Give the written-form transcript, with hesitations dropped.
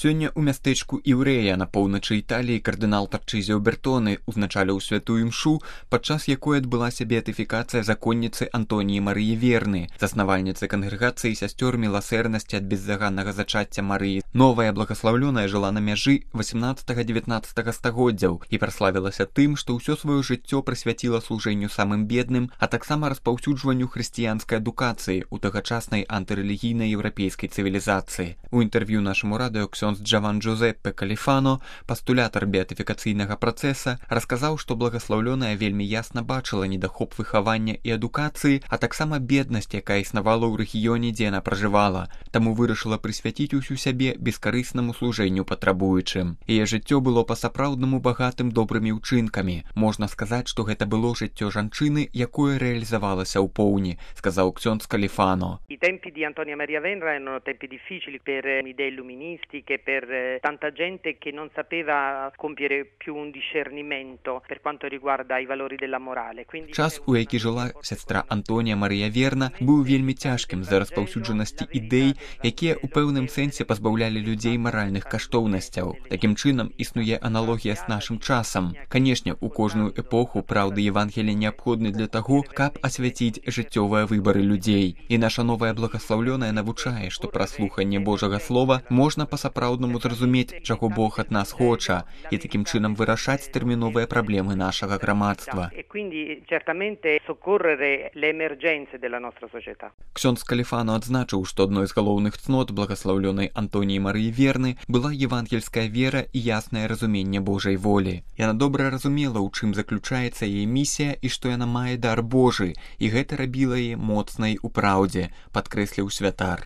Сёння ў мястэчку Іўрэя на поўначы Італіі кардынал Тарчызіо Бертоны узначаліў святую імшу, падчас якой адбылася беатыфікацыя законніцы Антоніі Марыі Верны, заснавальніцы кангрэгацыі сясцёр міласэрнасці ад беззаганнага зачацця Марыі. Новая благаслаўлёная жыла на мяжы 18-19 стагоддзяў і праславілася тым, што ўсё сваё жыццё прысвяціла служэнню самым бедным, а таксама распаўсюджванню хрысціянскай адукацыі ў тагачаснай антырэлігійнай еўрапейскай цывілізацыі. У інтэрв'ю нашаму радыё ксёндз Джаван Джузеппе Каліфано, пастулятар беатыфікацыйнага працэса, расказаў, што благаслаўлёная вельмі ясна бачыла недахоп выхавання і адукацыі, а таксама беднасць, якая існавала ў рэгіёне, дзе яна пражывала, таму вырашыла прысвяціць усю сябе бескарыснаму служэнню патрабуючым. Яе жыццё было па-сапраўднаму багатым добрымі ўчынкамі. Можна сказаць, што гэта было жыццё жанчыны, якое рэалізавалася ў поўні, сказаў ксёндз Каліфано. I tempi di Antonia Maria Venera erano tempi difficili per idee illuministiche, per tanta gente che non sapeva compiere più un discernimento per quanto riguarda i valori della morale. Час, у які жыла сястра Антонія Марія Верна, быў вельмі цяжкім з-за распаўсюджанасці ідэй, якія ў пэўным сэнсе пазбаўлялі людзей маральных каштоўнасцяў. Такім чынам існуе аналогія з нашым часам. Канешне, у кожную эпоху праўды Евангелія неабходны для таго, каб асвяціць жыццёвыя выбары людзей. І наша новая благаслаўлёная навучае, што праз слуханне Божага слова можна па-сапраўднаму зразумець, чаго Бог ад нас хоча, і такім чынам вырашаць тэрміновыя праблемы нашага грамадства. Ксёндз Каліфано адзначыў, што адной з галоўных цнот благаслаўлёнай Антоніі Марыі Верны была евангельская вера і яснае разуменне Божай волі. Яна добра разумела, у чым заключаецца яе місія і што яна мае дар Божы, і гэта рабіла яе моцнай у праўдзе, падкрэсліў святар.